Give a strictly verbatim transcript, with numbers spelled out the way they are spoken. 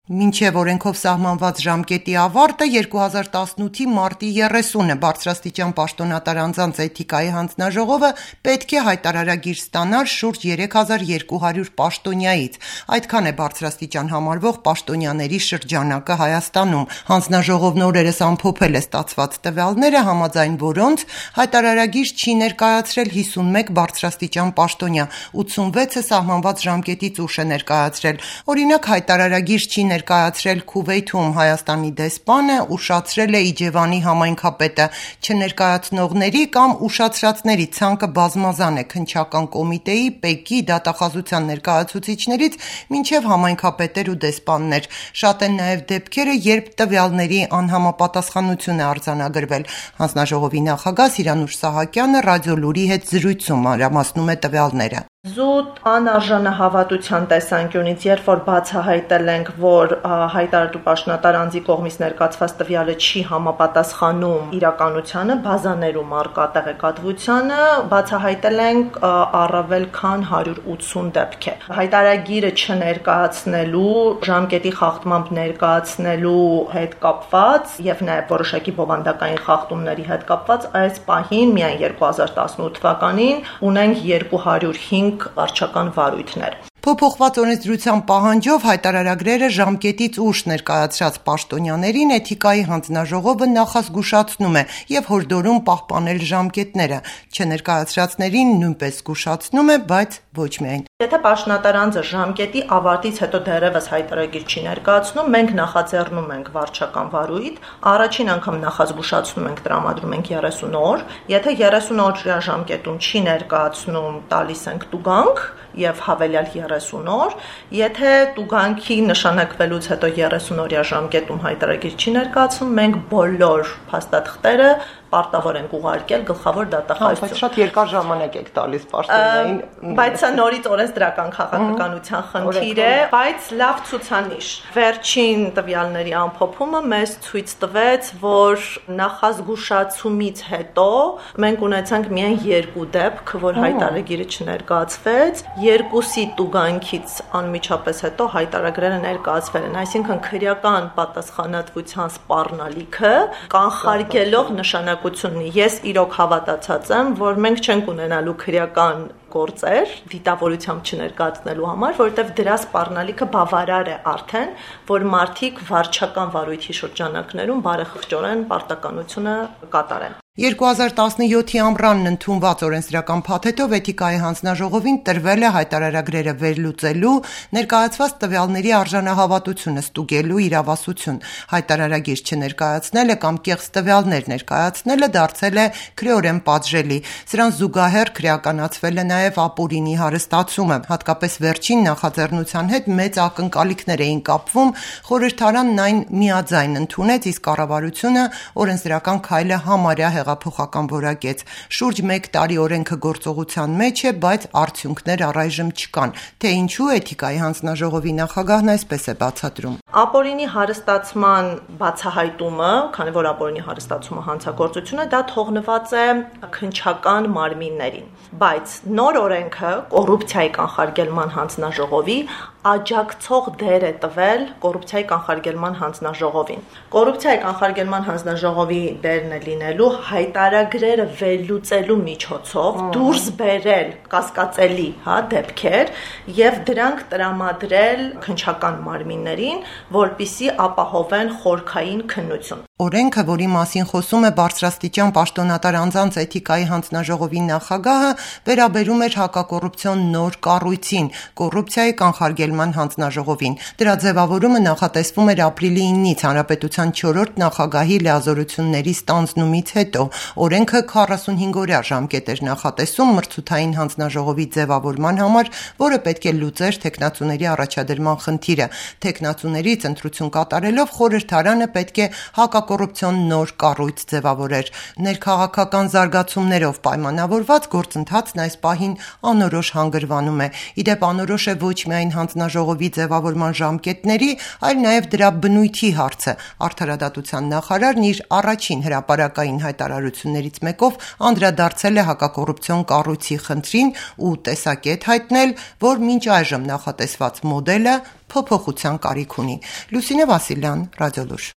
Մինչև օրենքով սահմանված ժամկետի ավարտը երկու հազար տասնութի մարտի երեսունը բարձրաստիճան պաշտոնատար անձանց էթիկայի հանձնաժողովը պետք է հայտարարագիր ստանար շուրջ երեք հազար երկու հարյուր պաշտոնյայից։ Այդքան է բարձրաստիճան համարվող պաշտոնյաների շրջանակը Հայաստանում։ Հանձնաժողովն օրերս ամփոփել է ստացված տվյալները, համաձայն որոնց հայտարարագիր չի ներկայացրել հիսունմեկ բարձրաստիճան պաշտոնյա, ութսունվեցը սահմանված ժամկետից ուշ է ներկայացրել։ Օրինակ, հայտարարագիր չի ներկայացրել Քուվեյթում Հայաստանի դեսպանը, ուշացրել է Իջևանի համայնքապետը։ Չներկայացնողների կամ ուշացրածների ցանկը բազմազան է քննչական կոմիտեի, ՊԵԿ-ի, դատախազության ներկայացուցիչներից մինչև համայնքապետեր ու դեսպաններ։ Շատ են նաև դեպքերը, երբ տվյալների անհամապատասխանություն է արձանագրվել։ Հանձնաժողովի նախագահ Սիրանուշ Սահակյանը ռադիոլուրի հետ զրույցում մանրամասնում է տվյալները։ Զուտ անարժանահավատության տեսանկյունից, երբ որ բացահայտել ենք, որ հայտարարու պաշտոնատար անձի կողմից ներկայացված տվյալը չի համապատասխանում իրականությանը, բազաներում առկա տեղեկատվությանը, բացահայտել ենք առավել քան հարյուր ութսուն դեպքեր։ Հայտարարագիրը չներկայացնելու, ժամկետի խախտմամբ ներկայացնելու հետ կապված եւ նաեւ որոշակի բովանդակային խախտումների հետ կապված այս պահին միայն երկու հազար տասնութ թվականին ունենք երկու հարյուր հինգ վարչական վարույթներ։ Փոփոխված օրենսդրության պահանջով հայտարարագրերը ժամկետից ուշ ներկայացրած պաշտոնյաներին էթիկայի հանձնաժողովը նախազգուշացնում է եւ հորդորում պահպանել ժամկետները։ Չներկայացրածներին նույնպես զգուշացնում է, բայց ոչ միայն։ Եթե պաշտոնատար անձը ժամկետի ավարտից հետո դեռևս հայտարարագիր չի ներկայացնում, մենք նախաձեռնում ենք վարչական վարույթ, առաջին անգամ նախազգուշացնում ենք, տրամադրում ենք երեսուն օր, եթե երեսուն օրյա ժամկետում չի ներկայացնում, տալիս ենք տուգանք եւ հավելյալ երեսուն օր, եթե տուգանքի նշանակվելուց հետո երեսուն օրյա ժամկետում հայտարարագիր չի ներկայացում, մենք բոլոր փաստաթղթերը պարտավոր ենք ուղարկել գլխավոր դատախազություն։ Բայց շատ երկար ժամանակ եք տալիս պաշտոնային։ Բայց սա նորից օրենսդրական քաղաքականության խնդիր է, բայց լավ ցուցանիշ։ Վերջին տվյալների ամփոփումը մեզ ցույց տվեց, որ նախազգուշացումից հետո մենք ունեցանք միայն երկու դեպք, որ հայտարարագիրը չներկայացվեց, երկուսի տուգանքից անմիջապես հետո հայտարարագրերը ներկայացվել են, այսինքն քրեական պատասխանատվության սպառնալիքը կանխարգելող նշանակ Ես իրոք հավատացած եմ, որ մենք չենք ունենալու քրեական գործեր դիտավորությամբ չներկայացնելու համար, որովհետև դրա սպառնալիքը բավարար է արդեն, որ մարդիկ վարչական վարույթի շրջանակներում բարեխղճորեն պարտականությունը կատարեն։ երկու հազար տասնյոթի ամռանն ընդունված օրենսդրական փաթեթով էթիկայի հանձնաժողովին տրվել է հայտարարագրերը վերլուծելու, ներկայացված տվյալների արժանահավատությունը ստուգելու իրավասություն։ Հայտարարագիր չներկայացնելը կամ կեղծ տվյալներ ներկայացնելը դարձել է քրեորեն պատժելի։ Սրան զուգահեռ քրեականացվել է նաև ապօրինի հարստացումը, հատկապես վերջին նախաձեռնության հետ մեծ ակնկալիքներ էին կապվում, խորհրդարանն այն միաձայն ընդունեց, իսկ կառավարությունը օրենսդրական քայլը համարյա հեղափոխական որակեց։ Շուրջ մեկ տարի օրենքը գործողության մեջ է, բայց արդյունքներ առայժմ չկան։ Թե ինչու էթիկայի հանձնաժողովի նախագահն այսպես է բացատրում։ Ապօրինի հարստացման բացահայտումը, քանի որ ապօրինի հարստացումը հանցագործություն է, դա թողնված է քննչական մարմիններին, բայց նոր օրենքը կոռուպցիայի կանխարգելման հանձնաժողովի աջակցող դեր է տվել կոռուպցիայի կանխարգելման հանձնաժողովին։ Կոռուպցիայի կանխարգելման հանձնաժողովի դերն է լինելու հայտարարագրերը վերլուծելու միջոցով դուրս բերել կասկածելի, հա, դեպքեր եւ դրանք տրամադրել քննչական մարմիններին, որպիսի ապահովեն խորքային քննություն։ Օրենքը, որի մասին խոսում է բարձրաստիճան պաշտոնատար անձանց էթիկայի հանձնաժողովի նախագահը, վերաբերում էր հակակոռուպցիոն նոր կառույցին՝ կոռուպցիայի կանխարգելման հանձնաժողովին։ Դրա ձևավորումը նախատեսվում էր ապրիլի իննից հանրապետության չորրորդ նախագահի լիազորությունների ստանձնումից հետո։ Օրենքը քառասունհինգ օրյա ժամկետ էր նախատեսում մրցութային հանձնաժողովի ձևավորման համար, որը պետք է լուծեր թեկնածուների առաջադրման խնդիրը։ Թեկնածուներից ընտրություն կատարելով խորհրդարանը պետք է հակակոռուպցիոն հակակոռուպցիոն նոր կառույց ձևավորեր։ Ներքաղաքական զարգացումներով պայմանավորված գործընթացն այս պահին անորոշ հանգրվանում է։ Ի դեպ, անորոշ է ոչ միայն հանձնաժողովի ձևավորման ժամկետների, այլ նաև դրա բնույթի հարցը։ Արդարադատության նախարարն իր առաջին հրապարակային հայտարարություններից մեկով անդրադարձել է հակակոռուպցիոն կառույցի խնդրին ու տեսակետ հայտնել, որ մինչ այժմ նախատեսված մոդելը փոփոխության կարիք ունի։ Լուսինե Վասիլյան, Ռադիոլուր։